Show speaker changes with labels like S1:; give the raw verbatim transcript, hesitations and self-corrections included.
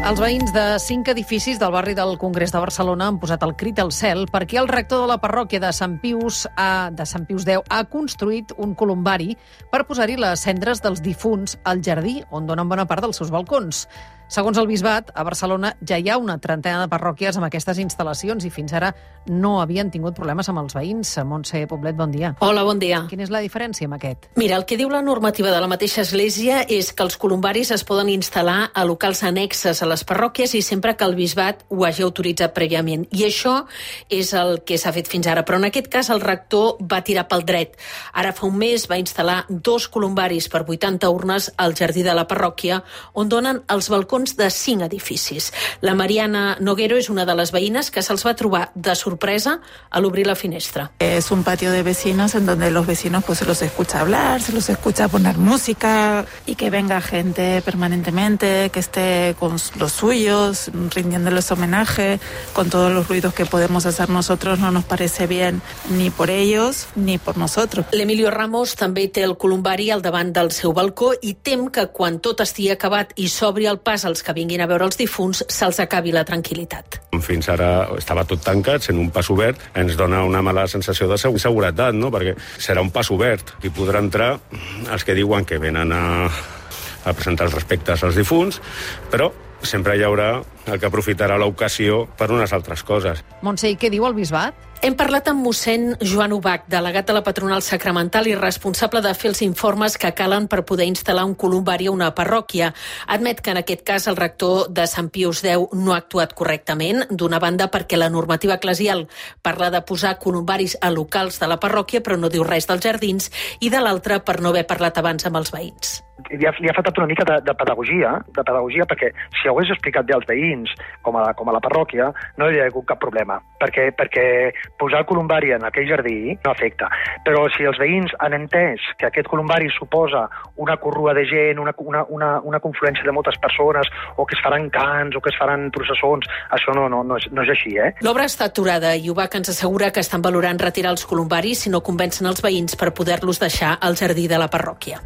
S1: Els veïns de cinc edificis del barri del Congrés de Barcelona han posat el crit al cel perquè el rector de la parròquia de Sant Pius, a, de Sant Pius X ha construït un columbari per posar-hi les cendres dels difunts al jardí, on donen bona part dels seus balcons. Segons el bisbat, a Barcelona ja hi ha una trentena de parròquies amb aquestes instal·lacions i fins ara no havien tingut problemes amb els veïns. Montse Poblet, bon dia.
S2: Hola, bon dia.
S1: Quina és la diferència amb aquest?
S2: Mira, el que diu la normativa de la mateixa església és que els columbaris es poden instal·lar a locals annexes a les parròquies i sempre que el bisbat ho hagi autoritzat prèviament. I això és el que s'ha fet fins ara. Però en aquest cas el rector va tirar pel dret. Ara fa un mes va instal·lar dos columbaris per vuitanta urnes al jardí de la parròquia, on donen els balcons de cinc edificis. La Mariana Noguero és una de les veïnes que se'ls va trobar de sorpresa a l'obrir la finestra.
S3: Es un patio de vecinos en donde los vecinos pues se los escucha hablar, se los escucha poner música y que venga gente permanentemente, que esté con los suyos, rindiéndoles homenaje, con todos los ruidos que podemos hacer nosotros no nos parece bien ni por ellos ni por nosotros.
S2: L'Emilio Ramos també té el columbari al davant del seu balcó i tem que quan tot estigui acabat i s'obri el pas als que vinguin a veure els difunts se'ls acabi la tranquil·litat.
S4: Fins ara estava tot tancat, sent un pas obert, ens dona una mala sensació de seguretat, no? Perquè serà un pas obert i podrà entrar els que diuen que venen a, a presentar els respectes als difunts, però sempre hi haurà el que aprofitarà l'ocasió per unes altres coses.
S1: Montse, i què diu el bisbat?
S2: Hem parlat amb mossèn Joan Ubach, delegat de la patronal sacramental i responsable de fer els informes que calen per poder instal·lar un columbari a una parròquia. Admet que en aquest cas el rector de Sant Pius X no ha actuat correctament, d'una banda perquè la normativa eclesial parla de posar columbaris a locals de la parròquia però no diu res dels jardins, i de l'altra per no haver parlat abans amb els veïns.
S5: Li ha, li ha faltat una mica de, de pedagogia, de pedagogia perquè si ho hagués explicat bé als veïns, com a, com a la parròquia, no hi hauria hagut cap problema, perquè, perquè posar el columbari en aquell jardí no afecta. Però si els veïns han entès que aquest columbari suposa una corrua de gent, una, una, una, una confluència de moltes persones, o que es faran cants, o que es faran processons, això no, no, no, és, no és així, eh?
S2: L'obra està aturada i Ubach ens assegura que estan valorant retirar els columbaris si no convencen els veïns per poder-los deixar al jardí de la parròquia.